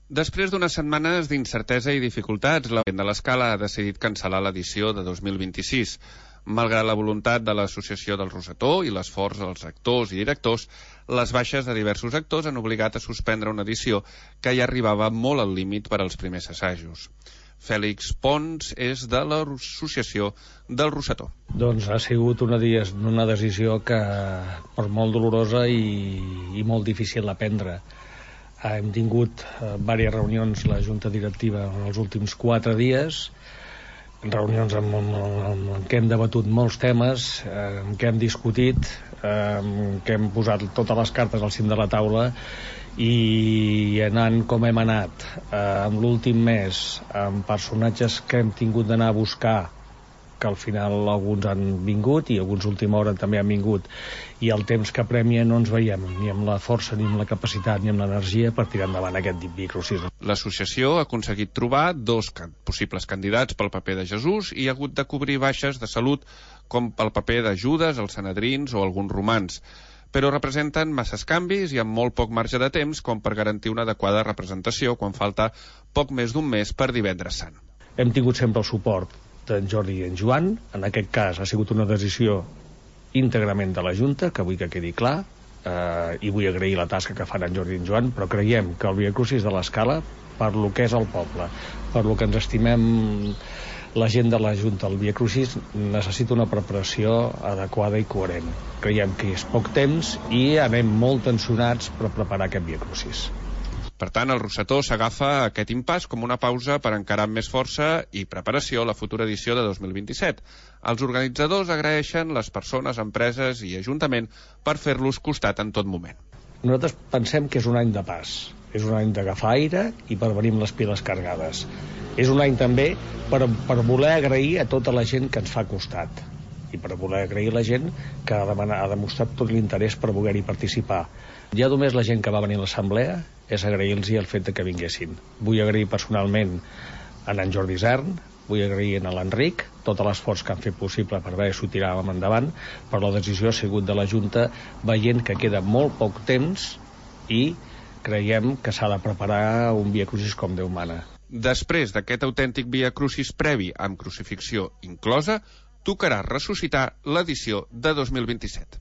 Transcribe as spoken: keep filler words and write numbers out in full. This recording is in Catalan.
Després d'unes setmanes d'incertesa i dificultats, la Gent de l'Escala ha decidit cancel·lar l'edició de dos mil vint-i-sis. Malgrat la voluntat de l'Associació del Rosetó i l'esforç dels actors i directors, les baixes de diversos actors han obligat a suspendre una edició que ja arribava molt al límit per als primers assajos. Fèlix Pons és de l'Associació del Rosetó. Doncs ha sigut una, una decisió que per molt dolorosa i, i molt difícil de prendre. Hem tingut eh, diverses reunions la Junta Directiva en els últims quatre dies, reunions en, en, en, en què hem debatut molts temes, eh, en què hem discutit, eh, en què hem posat totes les cartes al cim de la taula, i anant com hem anat eh, en l'últim mes amb personatges que hem tingut d'anar a buscar, que al final alguns han vingut i alguns a última hora també han vingut, i el temps que premia no ens veiem ni amb la força, ni amb la capacitat, ni amb l'energia per tirar endavant aquest Via Crucis. L'associació ha aconseguit trobar dos can possibles candidats pel paper de Jesús i ha hagut de cobrir baixes de salut com pel paper de Judes, els Sanedrins o alguns romans, però representen masses canvis i amb molt poc marge de temps com per garantir una adequada representació quan falta poc més d'un mes per Divendres Sant. Hem tingut sempre el suport d'en Jordi i en Joan. En aquest cas ha sigut una decisió íntegrament de la Junta, que vull que quedi clar, eh, i vull agrair la tasca que fan en Jordi i en Joan, però creiem que el Via Crucis de l'Escala, per lo que és el poble, per lo que ens estimem la gent de la Junta, el Via Crucis necessita una preparació adequada i coherent. Creiem que és poc temps i anem molt tensionats per preparar aquest Via Crucis. Per tant, el Rosetó s'agafa aquest impàs com una pausa per encarar amb més força i preparació la futura edició de dos mil vint-i-set. Els organitzadors agraeixen les persones, empreses i Ajuntament per fer-los costat en tot moment. Nosaltres pensem que és un any de pas, és un any d'agafar aire i per venir amb les piles cargades. És un any també per, per voler agrair a tota la gent que ens fa costat i per voler agrair a la gent que ha, demanat, ha demostrat tot l'interès per voler-hi participar. Ja només la gent que va venir a l'assemblea és agrair-los el fet de que vinguessin. Vull agrair personalment a en Jordi Isern, vull agrair a l'Enric tot l'esforç que han fet possible per veure si ho tiràvem endavant, però la decisió ha sigut de la Junta, veient que queda molt poc temps i creiem que s'ha de preparar un Via Crucis com Déu mana. Després d'aquest autèntic Via Crucis previ amb crucifixió inclosa, tocarà ressuscitar l'edició de dos mil vint-i-set.